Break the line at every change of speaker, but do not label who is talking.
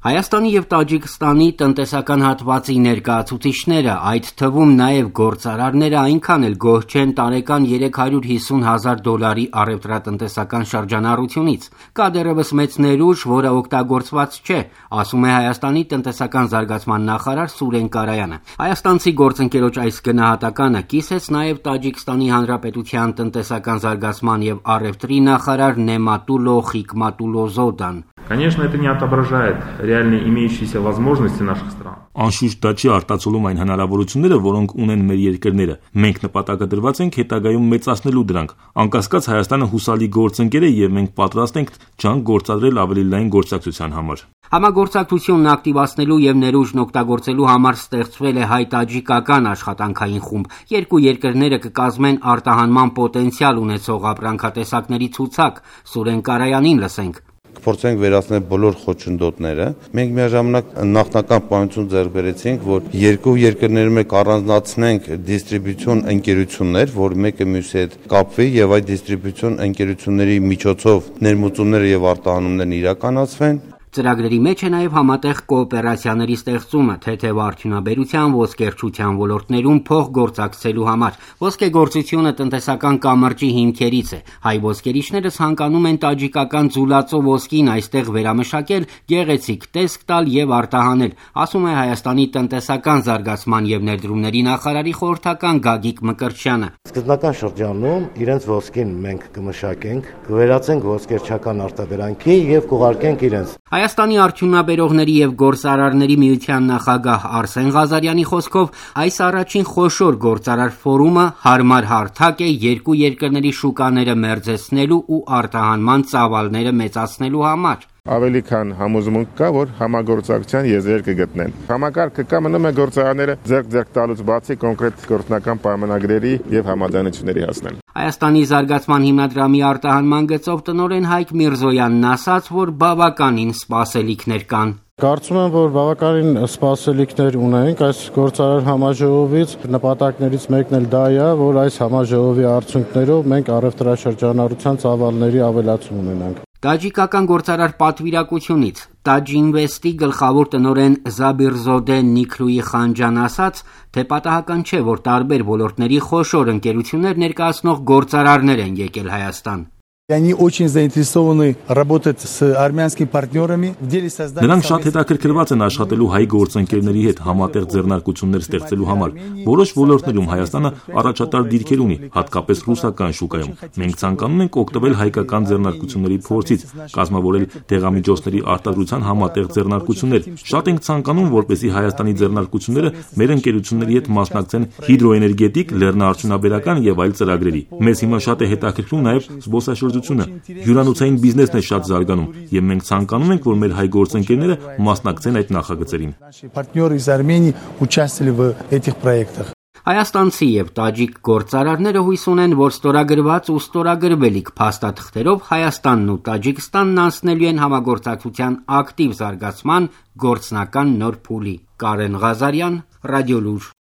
Հայաստանի և Տաջիկստանի տնտեսական հատվածի ներկայացուցիչները, այդ թվում նաև գործարարները այնքան էլ գոհ չեն տարեկան $350,000 առևտրատնտեսական շրջանառությունից։ Կա դեռևս մեծ ներուժ, որը օգտագործված չէ, ասում է Հայաստանի տնտեսական զարգացման նախարար Սուրեն Կարայանը։ Հայաստանցի գործընկերոջ այս գնահատականը կիսեց նաև Տաջիկստանի Հանրապետության տնտեսական զարգացման և առևտրի նախարար Նեմատուլո Խիկմատուլոզոդան։
Конечно, это не отображает реальные имеющиеся возможности наших стран.
Անշուշտ դա չի արտացոլում այն հնարավորությունները, որոնք ունեն մեր երկրները։ Մենք նպատակը դրված ենք հետագայում մեծացնելու դրանք։ Անկասկած Հայաստանը հուսալի գործընկեր է եւ մենք պատրաստ ենք ջանք գործադրել ավելի լայն գործակցության համար։
Համագործակցությունն ակտիվացնելու եւ ներուժն օգտագործելու համար ստեղծվել է հայ-տաջիկական աշխատանքային խումբ։ Երկու երկրները կկազմեն արտահանման պոտենցիալ ունեցող ապրանքատեսակների ցուցակ։ Սուրեն Կարայանին լսենք։
Կփորձենք վերացնել բոլոր խոչընդոտները։ Մենք միաժամանակ նախնական պայմանություն ձեռք բերեցինք, որ երկու երկրների մեջ առանձնացնենք դիստրիբյուցիոն ընկերություններ, որ մեկը մյուսի հետ կապվի եւ այդ դիստրիբյուցիոն ընկերությունների միջոցով ներմուծումները եւ արտահանումներն իրականացվեն։
Ծրագրերի մեջ է նաև համատեղ կոոպերացիաների ստեղծումը թեթև արդյունաբերության, ոսկերչության ոլորտներում փոխգործակցելու համար։ Ոսկեգործությունը տնտեսական կամրջի հիմքերից է։ Հայ ոսկերիչները ցանկանում են տաջիկական ձուլածո ոսկին այստեղ վերամշակել, գեղեցիկ տեսք տալ եւ արտահանել, ասում է Հայաստանի տնտեսական զարգացման եւ ներդրումների նախարարի խորհրդական Գագիկ Մկրտչյանը։
Սկզբնական շրջանում իրենց ոսկին մենք կմշակենք, կվերածենք ոսկերչական արտադրանքի եւ կուղարկենք իրենց։
Հայաստանի արդյունաբերողների եւ գործարարների միության նախագահ Արսեն Ղազարյանի խոսքով այս առաջին խոշոր գործարար ֆորումը հարմար հարթակ է երկու երկրների շուկաները մերձեցնելու ու արտահանման ծավալները մեծացնելու համար։
Ավելի քան համոզմունք կա, որ համագործակցության եզրեր կգտնեն։ Համակարգը կա մնում է գործարանները ձեռք տալուց բացի կոնկրետ գործնական պայմանագրերի եւ համաձայնությունների հասնել։
Հայաստանի զարգացման հիմնադրամի արտահանման գծով տնօրեն Հայկ Միրզոյանն ասաց, որ բավականին սպասելիքներ կան։
Կարծում եմ, որ բավականին սպասելիքներ ունենք այս գործարար համաժողովից։ Նպատակներից մեկն էլ դա է, որ այս համաժողովի արդյունքներով մենք առևտրաշրջանառության ծավալների ավելացում ունենանք։
Տաջիկական գործարար պատվիրակությունից Տաջինվեստի գլխավոր տնօրեն Զաբիրզոդե Նիքրուի Խանջան ասաց, թե պատահական չէ, որ տարբեր ոլորտների խոշոր ընկերություններ ներկայացնող գործարարներ են եկել Հայաստան։
Они очень заинтересованы работать с армянскими партнерами в деле создания.
Նրանք շատ հետաքրքրված են աշխատելու հայ գործընկերների հետ համատեղ ձեռնարկություններ ստեղծելու համար։ Որոշ ոլորտներում Հայաստանը առաջատար դիրքեր ունի, հատկապես ռուսական շուկայում։ Մենք ցանկանում ենք օգտվել հայկական ձեռնարկությունների փորձից, կազմավորել դեղամիջոցների արտադրության համատեղ ձեռնարկություններ։ Շատ ենք ցանկանում, որպեսզի Հայաստանի ձեռնարկությունները մեր ընկերությունների հետ մասնակցեն հիդրոէներգետիկ, լեռնաարդյունաբերական եւ այլ ծրագրերի։ Մեզ հիմա շատ է հետաքրքրում նաեւ զբոսաշրջությունը։ Հյուրանոցային բիզնեսն է շատ զարգանում եւ մենք ցանկանում ենք, որ մեր հայ գործընկերները մասնակցեն այդ նախագծերին։
Партнеры из Армении участвовали в этих проектах.
Հայաստանցի եւ տաջիկ գործարարները հույս ունեն, որ ստորագրված ու ստորագրվելիք փաստաթղթերով Հայաստանն ու Տաջիկստանն անցնելու են համագործակցության ակտիվ զարգացման գործնական նոր փուլի։ Կարեն Ղազարյան, Ռադիոլուր։